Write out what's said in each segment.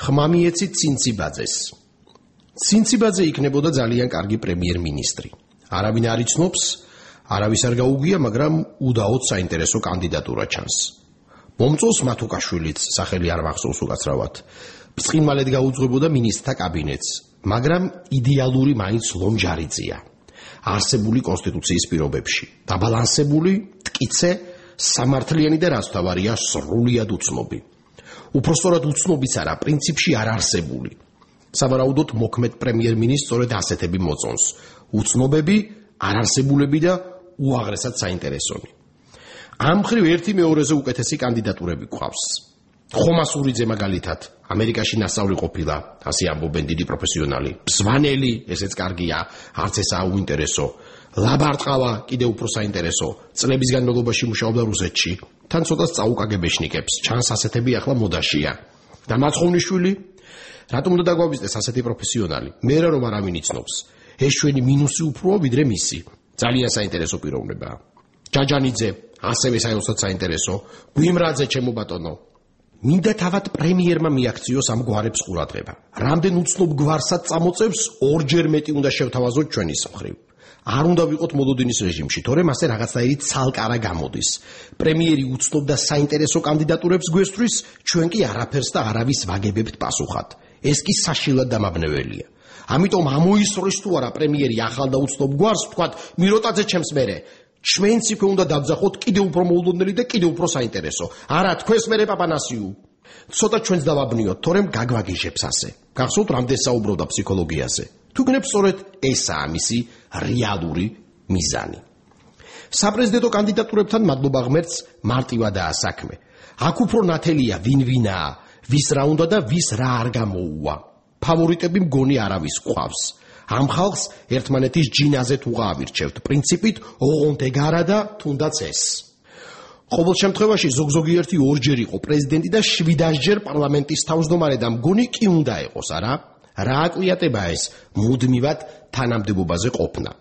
ხმა მიეცით ცინციბაძეს. ცინციბაძე იქნებოდა ძალიან კარგი პრემიერ-მინისტრი. არავინ არ იცნობს, არავის არ გაუგია, მაგრამ უდაოდ საინტერესო კანდიდატურა ჩანს. მომწონს მათუკაშვილიც, სახელი არ მახსოვს უკაცრავად. ბრწყინვალედ გაუძღვებოდა მინისტრთა კაბინეტს, მაგრამ იდეალური მაინც ლომჯარიძეა. არსებული კონსტიტუციის პირობებში, დაბალანსებული, მტკიცე, სამართლიანი და რაც თავარია სრულიად უცნობი. უпростоრად უცნობიც არა, პრინციპში არ არსებული. სავარაუდოდ მოქმედ პრემიერ-მინისტრს სწორედ ასეთები მოწონს. უცნობები, არარსებულები და უაღრესად საინტერესონი. ამ მხრივ ერთი მეორეზე უკეთესი კანდიდატურები გვყავს. ხომასურიძე მაგალითად, ამერიკაში ნასწავლი ყოფილა, ასე ამბობენ დიდი პროფესიონალი. ბზვანელი, ესეც კარგია, არც ესაა უინტერესო. ლაბარტყავა, კიდევ უფრო საინტერესო. წლების განმავლობაში მუშაობდა რუსეთში. თან ცოტა წაუკაგებეშნიკებს, ჩანს ასეთები ახლა მოდაშია. და მაცხოვნიშვილი, რატომ უნდა დაგვავიზდეს ასეთი პროფესიონალი? მე რომ არავინ იცნობს. ეს ჩვენი მინუსი უფროა ვიდრე მისი. ძალიან საინტერესო პიროვნებაა. ჯაჯანიძე, ასევე საერთოდ საინტერესო. გვიმრაძე, ჩემო ბატონო. მინდა თავად პრემიერმა მიაქციოს ამ გვარებს ყურადღება. რამდენ უცნობ გვარსაც წამოწევს, ორჯერ მეტი უნდა შევთავაზოთ ჩვენის მხრივ. არ უნდა ვიყოთ მოლოდინის რეჟიმში, თორემ ასე რაღაცნაირი ცალკარა გამოდის. პრემიერი უცნობ და საინტერესო კანდიდატურებს გვესწრის, ჩვენ კი არაფერს და არავის ვაგებებთ პასუხად. ეს კი საშინლად დამაბნეველია. ამიტომ ამოისწრის თუ არა პრემიერი ახალ და უცნობ გვარს, ვთქვათ, მიროტაძე ჩემს მერე. ჩვენც იქვე უნდა დავძახოთ კიდევ უფრო მოულოდნელი და კიდევ უფრო საინტერესო. არა, თქვენს მერე პაპანასიუ. ცოტა ჩვენც დავაბნიოთ, თორემ გაგვაგიჟებს ასე. გახსოვთ, რამდენ საუბრობდა ფსიქოლოგიაზე. თუ გნებ სწორედ ესაა მისი რეალური მიზანი. საპრეზიდენტო კანდიდატურებთან მადლობა ღმერთს მარტივადაა საქმე. აქ უფრო ნათელია ვინ-ვინაა, ვის რა უნდა და ვის რა არ გამოუვა. ფავორიტები მგონი არავის გვყავს. ამ ხალხს ერთმანეთის ჯინაზე თუ გაავირჩევთ, პრინციპით ოღონდ ეგარა და თუნდაც ეს. ყოველ შემთხვევაში ზოგ-ზოგიერთი ორჯერ იყო პრეზიდენტი და 7-ჯერ პარლამენტის თავმჯდომარე და მგონი კი უნდა იყოს, არა? რა აკვიატება ეს მუდმივად თანამდებობაზე ყოფნა.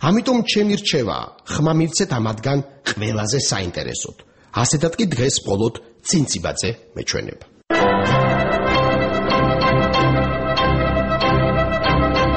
ამიტომ ჩემი რჩევა, ხმა მივცეთ ამათგან ყველაზე საინტერესოდ. ასეთად კი დღეს მხოლოდ ცინციბაძე მეჩვენება.